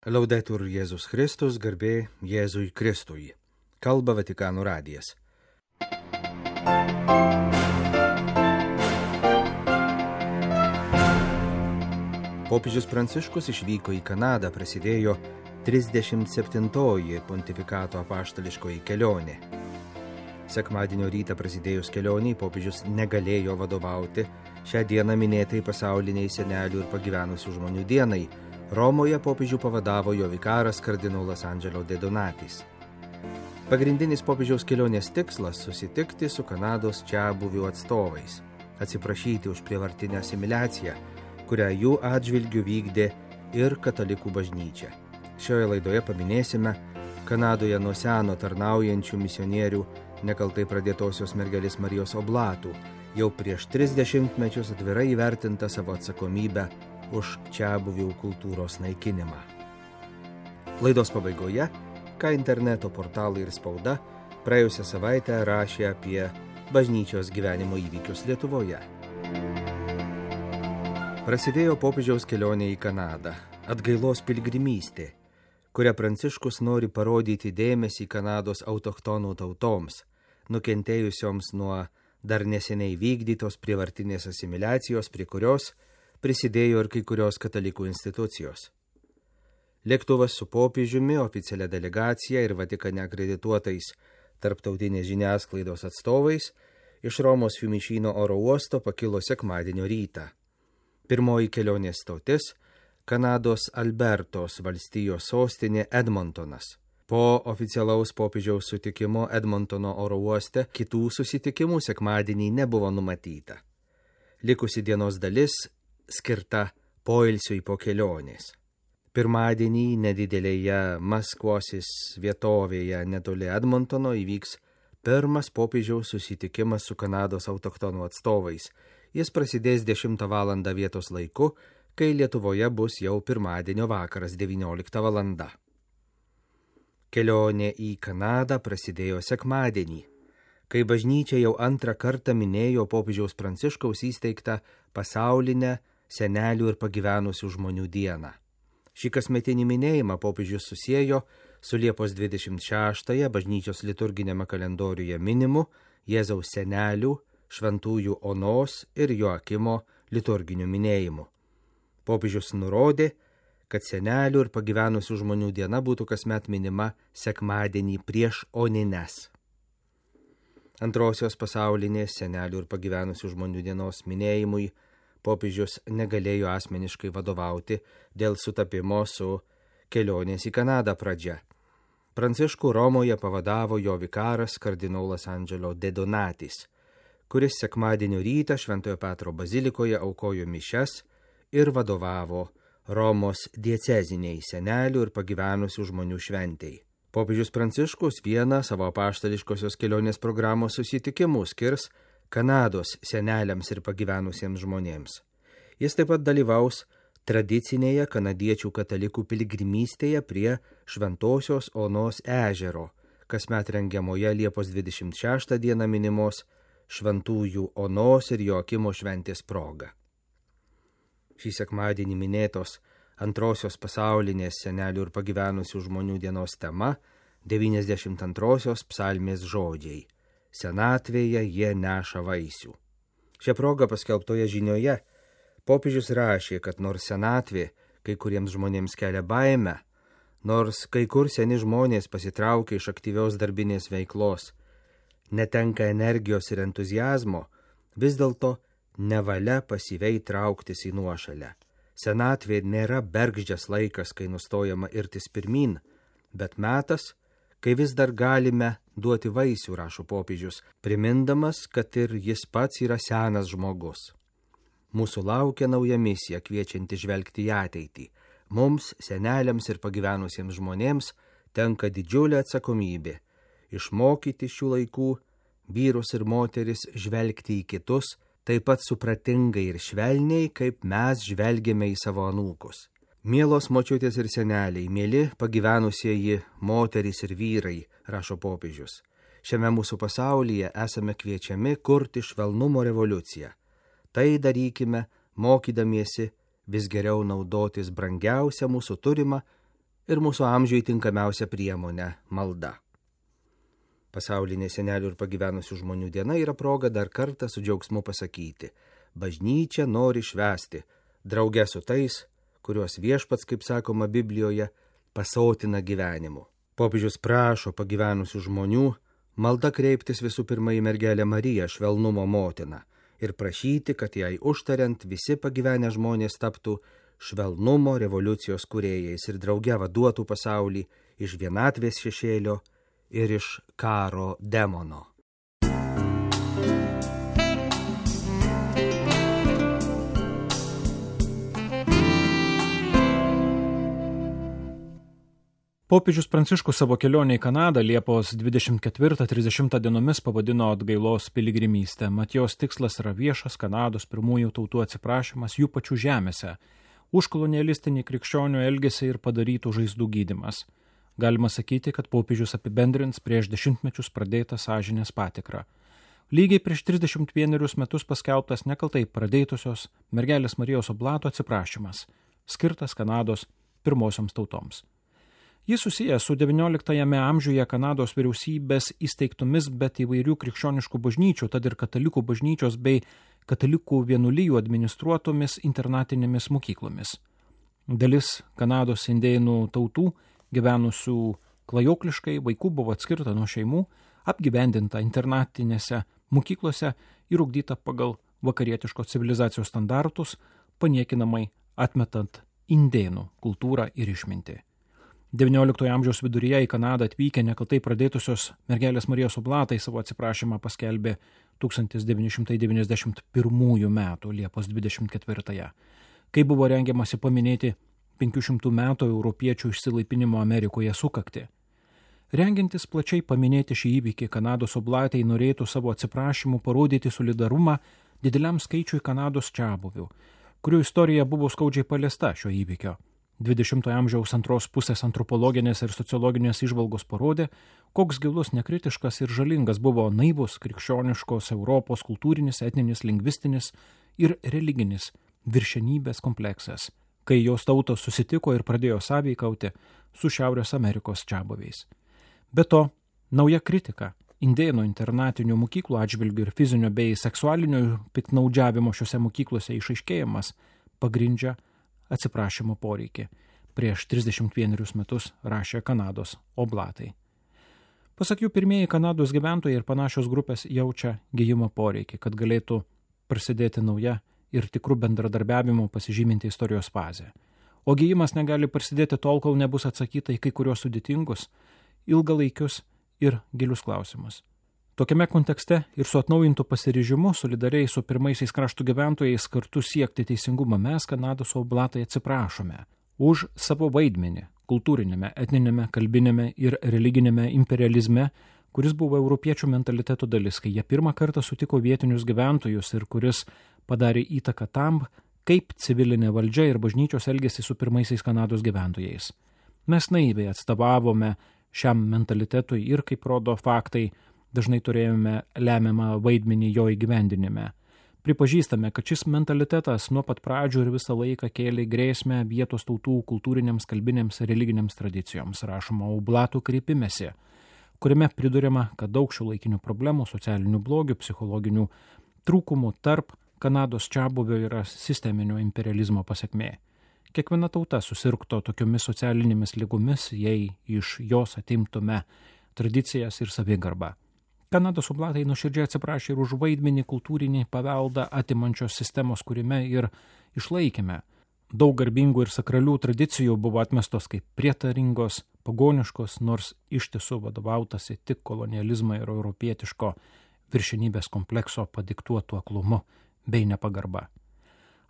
Laudetur Jėzus Kristus, garbė Jėzui Kristui. Kalba Vatikano radijas. Popiežius Pranciškus išvyko į Kanadą, prasidėjo 37-oji pontifikato apaštališkoji kelionė. Sekmadienio rytą prasidėjus kelioniai, popiežius negalėjo vadovauti šią dieną minėtai pasauliniai senelių ir pagyvenusių žmonių dienai. Romoje popiežių pavadavo jo vikaras kardinolas Angelo De Donatis. Pagrindinis popiežiaus kelionės tikslas – susitikti su Kanados čiabuvių atstovais, atsiprašyti už prievartinę asimiliaciją, kurią jų atžvilgiu vykdė ir katalikų bažnyčia. Šioje laidoje paminėsime Kanadoje nuo seno tarnaujančių misionierių nekaltai pradėtosios mergelės Marijos oblatų, jau prieš 30 mečius atvirai įvertinta savo atsakomybę už čiabuvių kultūros naikinimą. Laidos pabaigoje, ką interneto portalai ir spauda praėjusią savaitę rašė apie bažnyčios gyvenimo įvykius Lietuvoje. Prasidėjo popiežiaus kelionė į Kanadą, atgailos piligrimystė, kuria Pranciškus nori parodyti dėmesį Kanados autochtonų tautoms, nukentėjusioms nuo dar neseniai vykdytos prievartinės asimiliacijos, prie kurios prisidėjo ir kai kurios katalikų institucijos. Lėktuvas su popiežiumi, oficialia delegacija ir Vatikane akredituotais tarptautinės žiniasklaidos atstovais iš Romos Fiumicino oro uosto pakilo sekmadienio rytą. Pirmoji kelionės stotis – Kanados Albertos valstijos sostinė Edmontonas. Po oficialaus popiežiaus sutikimo Edmontono oro uoste kitų susitikimų sekmadienį nebuvo numatyta. Likusi dienos dalis skirta poilsiui po kelionės. Pirmadienį nedidelėje Maskvosis vietovėje netoli Edmontono įvyks pirmas popiežiaus susitikimas su Kanados autochtonų atstovais. Jis prasidės 10 val. Vietos laiku, kai Lietuvoje bus jau pirmadienio vakaras 19 val. Kelionė į Kanadą prasidėjo sekmadienį, kai bažnyčia jau antrą kartą minėjo popiežiaus Pranciškaus įsteigtą pasaulinę senelių ir pagyvenusių žmonių dieną. Šį kasmetinį minėjimą popiežius susiejo su Liepos 26-ąją bažnyčios liturginėme kalendoriuje minimu Jėzaus senelių, šventųjų Onos ir Joakimo liturginiu minėjimu. Popiežius nurodė, kad senelių ir pagyvenusių žmonių diena būtų kasmet minima sekmadienį prieš Onines. Antrosios pasaulinės senelių ir pagyvenusių žmonių dienos minėjimui popiežius negalėjo asmeniškai vadovauti dėl sutapimo su kelionės į Kanadą pradžia. Pranciškų Romoje pavadavo jo vikaras kardinolas Angelo De Donatis, kuris sekmadienio rytą Šventojo Petro bazilikoje aukojo mišias ir vadovavo Romos dieceziniai senelių ir pagyvenusių žmonių šventei. Popiežius Pranciškus vieną savo apaštališkosios kelionės programos susitikimų skirs Kanados seneliams ir pagyvenusiems žmonėms. Jis taip pat dalyvaus tradicinėje kanadiečių katalikų piligrimystėje prie Šventosios Onos ežero, kasmet rengiamoje Liepos 26 dieną minimos šventųjų Onos ir Joakimo šventės proga. Šį sekmadienį minėtos antrosios pasaulinės senelių ir pagyvenusių žmonių dienos tema 92-osios psalmės žodžiai. Senatvėje jie neša vaisių. Šią progą paskelbtoje žinioje popiežius rašė, kad nors senatvė kai kuriems žmonėms kelia baimę, nors kai kur seni žmonės pasitraukia iš aktyvios darbinės veiklos, netenka energijos ir entuziazmo, vis dėlto nevalia pasyviai trauktis į nuošalę. Senatvė nėra bergždžias laikas, kai nustojama irtis pirmyn, bet metas, kai vis dar galime duoti vaisių, rašo popiežius, primindamas, kad ir jis pats yra senas žmogus. Mūsų laukia nauja misija, kviečianti žvelgti į ateitį. Mums, seneliams ir pagyvenusiems žmonėms, tenka didžiulė atsakomybė išmokyti šių laikų vyrus ir moteris žvelgti į kitus, taip pat supratingai ir švelniai, kaip mes žvelgiame į savo anūkus. Mielos močiutės ir seneliai, mieli pagyvenusieji moterys ir vyrai, rašo popiežius. Šiame mūsų pasaulyje esame kviečiami kurti švelnumo revoliuciją. Tai darykime, mokydamiesi vis geriau naudotis brangiausią mūsų turimą ir mūsų amžiui tinkamiausia priemonė – malda. Pasaulinė senelių ir pagyvenusių žmonių diena yra proga dar kartą su džiaugsmu pasakyti: bažnyčia nori švęsti, drauge su tais, kuriuos viešpats, kaip sakoma Biblijoje, pasotina gyvenimu. Popiežius prašo pagyvenusių žmonių malda kreiptis visų pirma į mergelę Mariją, švelnumo motiną, ir prašyti, kad jai užtariant visi pagyvenę žmonės taptų švelnumo revoliucijos kūrėjais ir drauge vaduotų pasaulį iš vienatvės šešėlio ir iš karo demono. Popiežius Pranciškus savo kelionę į Kanadą Liepos 24-30 dienomis pavadino atgailos piligrimystę. Mat jos tikslas yra viešas Kanados pirmųjų tautų atsiprašymas jų pačių žemėse už kolonialistinį krikščionių elgesį ir padarytų žaizdų gydymas. Galima sakyti, kad popiežius apibendrins prieš 10 mečius pradėtą sąžinės patikrą. Lygiai prieš 31 metus paskelbtas nekaltai pradėtusios mergelės Marijos oblato atsiprašymas, skirtas Kanados pirmosioms tautoms. Jis susijęs su XIX amžiuje Kanados vyriausybės įsteigtomis, bet įvairių krikščioniškų bažnyčių, tad ir katalikų bažnyčios bei katalikų vienuolijų administruotomis internatinėmis mokyklomis. Dalis Kanados indėnų tautų, gyvenusių klajokliškai, vaikų buvo atskirta nuo šeimų, apgyvendinta internatinėse mokyklose ir ugdyta pagal vakarietiškos civilizacijos standartus, paniekinamai atmetant indėnų kultūrą ir išmintį. XIX amžiaus viduryje į Kanadą atvykę nekaltai pradėtusios mergelės Marijos oblatai savo atsiprašymą paskelbė 1991 metų Liepos 24, kai buvo rengiamasi paminėti 500 metų europiečių išsilaipinimo Amerikoje sukaktį. Rengiantis plačiai paminėti šį įvykį, Kanados oblatai norėtų savo atsiprašymų parodyti solidarumą dideliam skaičiui Kanados čiabuvių, kurių istorija buvo skaudžiai paliesta šio įvykio. 20 amžiaus antros pusės antropologinės ir sociologinės įžvalgos parodė, koks gilus, nekritiškas ir žalingas buvo naivus krikščioniškos Europos kultūrinis, etninis, lingvistinis ir religinis viršenybės kompleksas, kai jos tautos susitiko ir pradėjo sąveikauti su Šiaurės Amerikos čiabuviais. Be to, nauja kritika indėnų internatinių mokyklų atžvilgių ir fizinio bei seksualinio piktnaudžiavimo šiuose mokyklose išaiškėjimas pagrindžia atsiprašymo poreikį. Prieš 31 metus rašė Kanados oblatai. Pasak jų, pirmieji Kanados gyventojai ir panašios grupės jaučia gijimo poreikį, kad galėtų prasidėti nauja ir tikrų bendradarbiavimo pasižyminti istorijos fazė. O gijimas negali prasidėti tol, kol nebus atsakyta į kai kurios sudėtingus, ilgalaikius ir gilius klausimus. Tokiame kontekste ir su atnaujintu pasiryžimu solidariai su pirmaisiais kraštų gyventojais kartu siekti teisingumą mes, Kanados oblatai, atsiprašome už savo vaidmenį kultūrinėme, etninėme, kalbinėme ir religinėme imperializme, kuris buvo europiečių mentaliteto dalis, kai jie pirmą kartą sutiko vietinius gyventojus ir kuris padarė įtaką tam, kaip civilinė valdžia ir bažnyčios elgėsi su pirmaisiais Kanados gyventojais. Mes naiviai atstovavome šiam mentalitetui ir, kaip rodo faktai, dažnai turėjome lemiamą vaidmenį jo įgyvendinime. Pripažįstame, kad šis mentalitetas nuo pat pradžių ir visą laiką kėlė grėsmę vietos tautų kultūrinėms, kalbinėms ir religinėms tradicijoms, rašoma oblatų kreipimesi, kuriame priduriama, kad daug šiuolaikinių problemų, socialinių blogių, psichologinių trūkumų tarp Kanados čiabuvio yra sisteminio imperializmo pasekmė. Kiekviena tauta susirgto tokiomis socialinėmis ligomis, jei iš jos atimtume tradicijas ir savigarbą. Kanados oblatai nuoširdžiai atsiprašė ir už vaidmenį kultūrinį paveldą atimančios sistemos kūrime ir išlaikėme. Daug garbingų ir sakralių tradicijų buvo atmestos kaip prietaringos, pagoniškos, nors iš tiesų vadovautasi tik kolonializmo ir europietiško viršenybės komplekso padiktuotų aklumu bei nepagarba.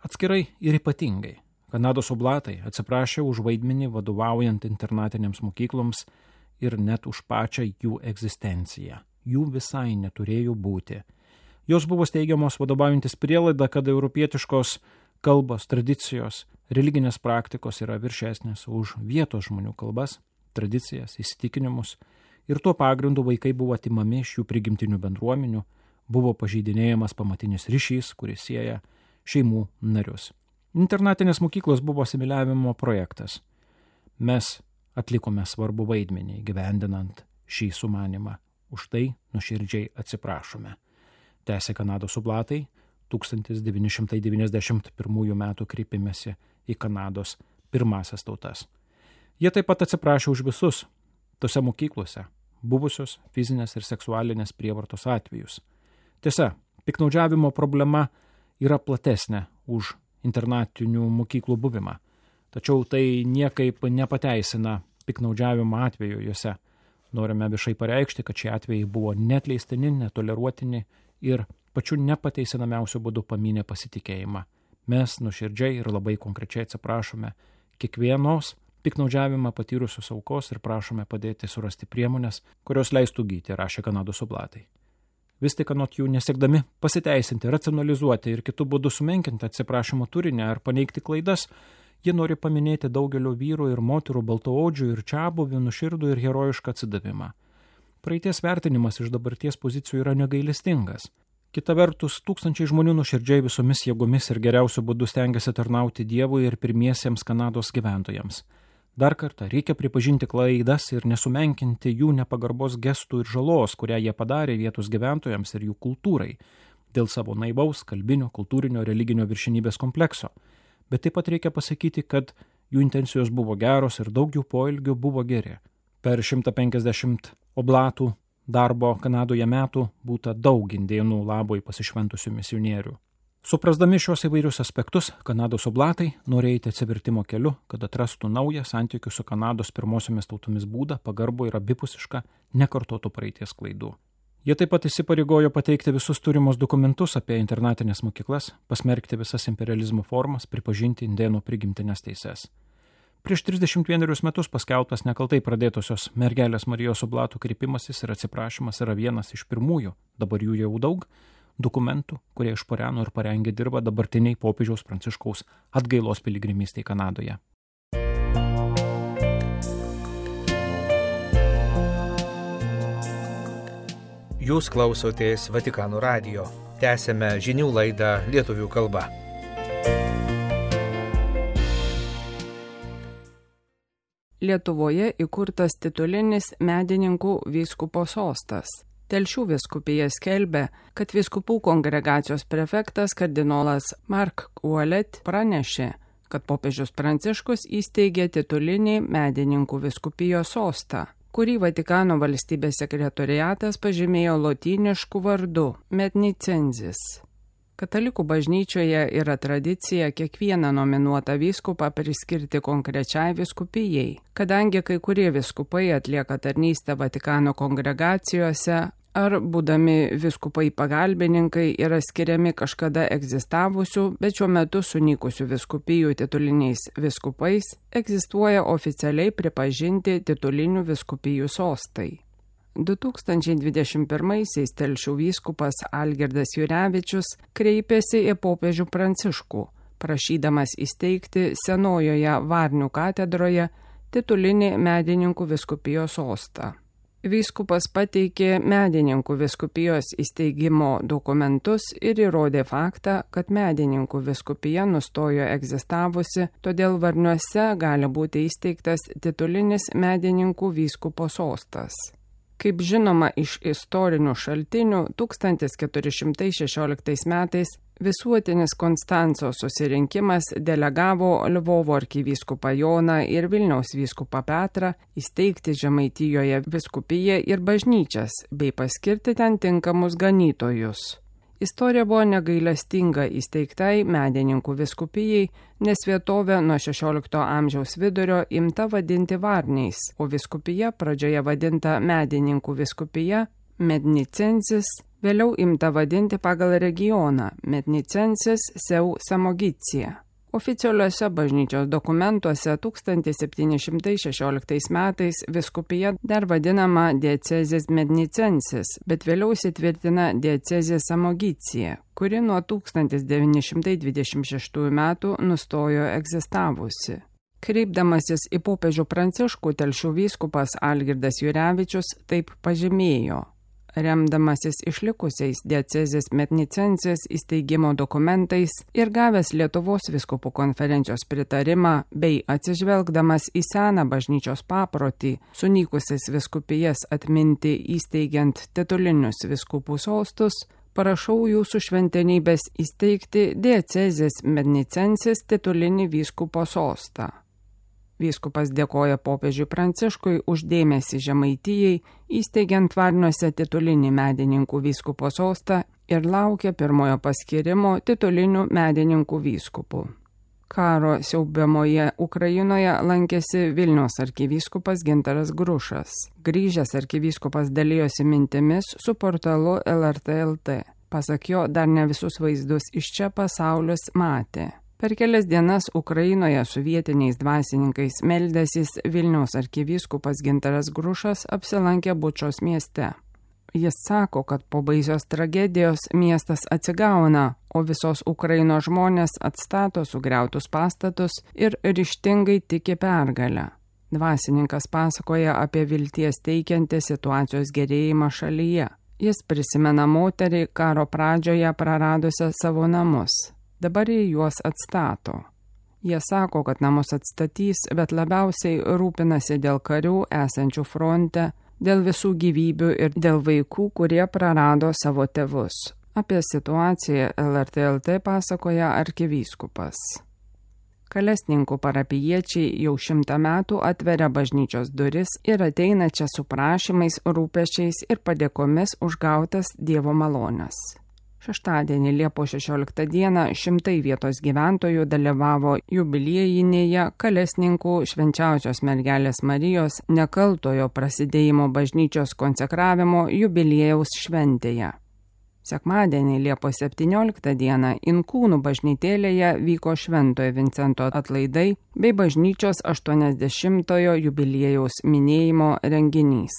Atskirai ir ypatingai Kanados oblatai atsiprašė už vaidmenį vadovaujant internatinėms mokykloms ir net už pačią jų egzistenciją. Jų visai neturėjo būti. Jos buvo steigiamos vadovaujantis prielaida, kad europietiškos kalbos, tradicijos, religinės praktikos yra viršesnės už vietos žmonių kalbas, tradicijas, įsitikinimus ir tuo pagrindu vaikai buvo atimami iš jų prigimtinių bendruomenių, buvo pažeidinėjamas pamatinis ryšys, kuris sieja šeimų narius. Internatinės mokyklos buvo asimiliavimo projektas. Mes atlikome svarbų vaidmenį gyvendinant šį sumanimą. Už tai nuoširdžiai atsiprašome. Tęsė Kanados oblatai 1991 metų kreipimėsi į Kanados pirmąsias tautas. Jie taip pat atsiprašė už visus tose mokyklose buvusios fizinės ir seksualinės prievartos atvejus. Tiesa, piktnaudžiavimo problema yra platesnė už internatinių mokyklų buvimą, tačiau tai niekaip nepateisina piktnaudžiavimo atveju juose. Norime viešai pareikšti, kad šie atvejai buvo neatleistini, netoleruotini ir pačiu nepateisinamiausiu būdu pamynė pasitikėjimą. Mes nuoširdžiai ir labai konkrečiai atsiprašome kiekvienos piktnaudžiavimą patyrusios aukos ir prašome padėti surasti priemonės, kurios leistų gydyti, rašė Kanados oblatai. Vis tik anot jų nesiekdami pasiteisinti, racionalizuoti ir kitų būdų sumenkinti atsiprašymo turinį ar paneigti klaidas, jie nori paminėti daugelio vyrų ir moterų baltaodžių ir čiabuvių nuoširdų ir herojišką atsidavimą. Praeities vertinimas iš dabarties pozicijų yra negailestingas. Kita vertus, tūkstančiai žmonių nuoširdžiai visomis jėgomis ir geriausiu būdu stengiasi tarnauti Dievui ir pirmiesiems Kanados gyventojams. Dar kartą reikia pripažinti klaidas ir nesumenkinti jų nepagarbos gestų ir žalos, kurią jie padarė vietos gyventojams ir jų kultūrai, dėl savo naivaus, kalbinio, kultūrinio, religinio viršenybės komplekso. Bet taip pat reikia pasakyti, kad jų intencijos buvo geros ir daug jų poelgių buvo geri. Per 150 oblatų darbo Kanadoje metų būta daug indėnų labui pasišventusių misionierių. Suprasdami šios įvairius aspektus, Kanados oblatai nori eiti atsivertimo keliu, kad atrastų naują santykių su Kanados pirmosiomis tautomis būdą, pagarbų ir abipusišką, nekartotų praeities klaidų. Jie taip pat įsipareigojo pateikti visus turimus dokumentus apie internatinės mokyklas, pasmerkti visas imperializmo formas, pripažinti indėnų prigimtinės teises. Prieš 31 metus paskelbtas nekaltai pradėtosios mergelės Marijos oblatų kreipimasis ir atsiprašymas yra vienas iš pirmųjų, dabar jų jau daug, dokumentų, kurie išporeno ir parengė dirbą dabartiniai popiežiaus Pranciškaus atgailos piligrimystei Kanadoje. Jūs klausotės Vatikano radijo. Tęsėme žinių laidą lietuvių kalba. Lietuvoje įkurtas titulinis medininkų vyskupo sostas. Telšių vyskupija skelbia, kad vyskupų kongregacijos prefektas kardinolas Mark Ouellet pranešė, kad popiežius Pranciškus įsteigė titulinį medininkų vyskupijos sostą, kurį Vatikano valstybės sekretoriatas pažymėjo lotynišku vardu Mednicenzis. Katalikų bažnyčioje yra tradicija kiekvieną nominuotą vyskupą priskirti konkrečiai vyskupijai, kadangi kai kurie vyskupai atlieka tarnystę Vatikano kongregacijose ar būdami vyskupai pagalbininkai yra skiriami kažkada egzistavusių, bet šiuo metu sunykusių vyskupijų tituliniais vyskupais, egzistuoja oficialiai pripažinti titulinių vyskupijų sostai. 2021-aisiais Telšių vyskupas Algirdas Jurevičius kreipėsi į popiežių Pranciškų, prašydamas įsteigti senojoje Varnių katedroje titulinį medininkų vyskupijos sostą. Vyskupas pateikė medininkų vyskupijos įsteigimo dokumentus ir įrodė faktą, kad medininkų vyskupija nustojo egzistavusi, todėl Varniuose gali būti įsteigtas titulinis medininkų vyskupo sostas. Kaip žinoma iš istorinių šaltinių, 1416 metais visuotinis Konstanco susirinkimas delegavo Lvovo arkivyskupą Joną ir Vilniaus vyskupą Petrą įsteigti Žemaitijoje vyskupiją ir bažnyčias bei paskirti ten tinkamus ganytojus. Istorija buvo negailestinga įsteigtai medininkų vyskupijai, nes vietovė nuo 16 amžiaus vidurio imta vadinti Varniais, o vyskupija pradžioje vadinta medininkų vyskupija Mednicensis, vėliau imta vadinti pagal regioną Mednicensis Seu Samogicija. Oficialiuose bažnyčios dokumentuose 1716 metais vyskupija dar vadinama diecezės Mednicensis, bet vėliau įsitvirtina diecezė Samogicija, kuri nuo 1926 metų nustojo egzistavusi. Kreipdamasis į popiežių Pranciškų, Telšių vyskupas Algirdas Jurevičius taip pažymėjo: remdamasis išlikusiais diecezės Mednicensis įsteigimo dokumentais ir gavęs Lietuvos vyskupų konferencijos pritarimą bei atsižvelgdamas į seną bažnyčios paprotį, sunykusias vyskupijas atminti įsteigiant titulinius vyskupų sostus, prašau jūsų šventenybės įsteigti diecezės Mednicensis titulinį vyskupo sostą. Vyskupas dėkoja popiežiui Pranciškui už dėmesį Žemaitijai, įsteigiant Varniuose titulinį medininkų vyskupo sostą ir laukia pirmojo paskirimo titulinių medininkų vyskupų. Karo siaubiamoje Ukrainoje lankėsi Vilniaus arkivyskupas Gintaras Grušas. Grįžęs arkivyskupas dalijosi mintimis su portalu LRT LT. Pasak jo, dar ne visus vaizdus iš čia pasaulis matė. Per kelias dienas Ukrainoje su vietiniais dvasininkais meldęsis Vilniaus arkivyskupas Gintaras Grušas apsilankė Bučos mieste. Jis sako, kad po baisios tragedijos miestas atsigauna, o visos Ukrainos žmonės atstato sugriautus pastatus ir ryžtingai tiki pergalę. Dvasininkas pasakoja apie vilties teikiantį situacijos gerėjimą šalyje. Jis prisimena moterį karo pradžioje praradusią savo namus. Dabar jie juos atstato. Jie sako, kad namus atstatys, bet labiausiai rūpinasi dėl karių esančių fronte, dėl visų gyvybių ir dėl vaikų, kurie prarado savo tėvus. Apie situaciją LRT LT pasakoja arkivyskupas. Kalesninkų parapijiečiai jau 100 metų atveria bažnyčios duris ir ateina čia su prašymais, rūpesčiais ir padėkomis už gautas Dievo malones. Šeštadienį Liepos 16 dieną šimtai vietos gyventojų dalyvavo jubiliejinėje Kalesninkų Švenčiausios Mergelės Marijos nekaltojo prasidėjimo bažnyčios konsekravimo jubiliejaus šventėje. Sekmadienį Liepos 17 dieną Inkūnų bažnytėlėje vyko Šventojo Vincento atlaidai bei bažnyčios 80-ojo jubiliejaus minėjimo renginys.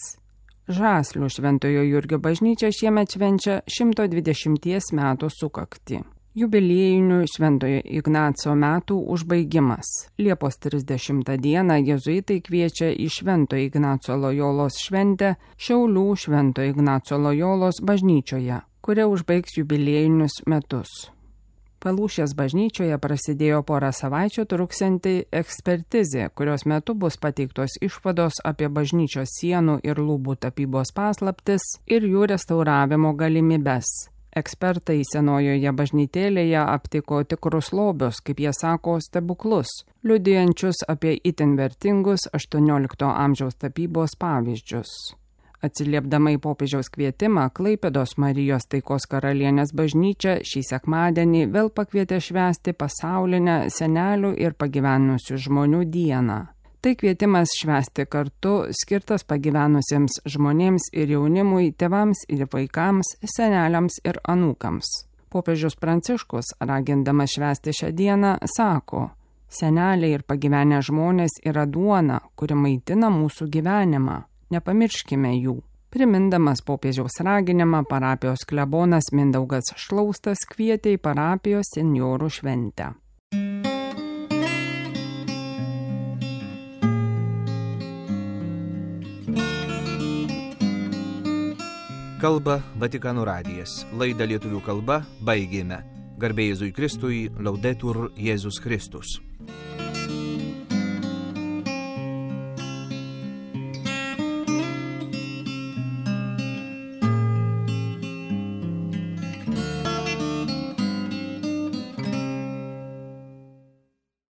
Žaslių Šventojo Jurgio bažnyčia šiemet švenčia 120 metų sukaktį. Jubiliejinių Šventojo Ignaco metų užbaigimas. Liepos 30 dieną jėzuitai kviečia į Šventojo Ignaco Lojolos šventę Šiaulių Šventojo Ignaco Lojolos bažnyčioje, kuria užbaigs jubiliejinius metus. Palūšės bažnyčioje prasidėjo porą savaičių truksianti ekspertizė, kurios metu bus pateiktos išvados apie bažnyčios sienų ir lubų tapybos paslaptis ir jų restauravimo galimybes. Ekspertai senojoje bažnytėlėje aptiko tikrus lobius, kaip jie sako, stebuklus, liudijančius apie itin vertingus 18 amžiaus tapybos pavyzdžius. Atsiliepdama į popiežiaus kvietimą, Klaipėdos Marijos Taikos karalienės bažnyčia šį sekmadienį vėl pakvietė švęsti pasaulinę senelių ir pagyvenusių žmonių dieną. Tai kvietimas švęsti kartu, skirtas pagyvenusiems žmonėms ir jaunimui, tėvams ir vaikams, seneliams ir anūkams. Popiežius Pranciškus, ragindamas švęsti šią dieną, sako: seneliai ir pagyvenę žmonės yra duona, kuri maitina mūsų gyvenimą. Nepamirškime jų. Primindamas popiežiaus raginimą, parapijos klebonas Mindaugas Šlaustas kvietė į parapijos senjorų šventę. Kalba Vatikano radijas. Laidą lietuvių kalba baigėme. Garbė Jėzui Kristui, Laudetur Jėzus Kristus.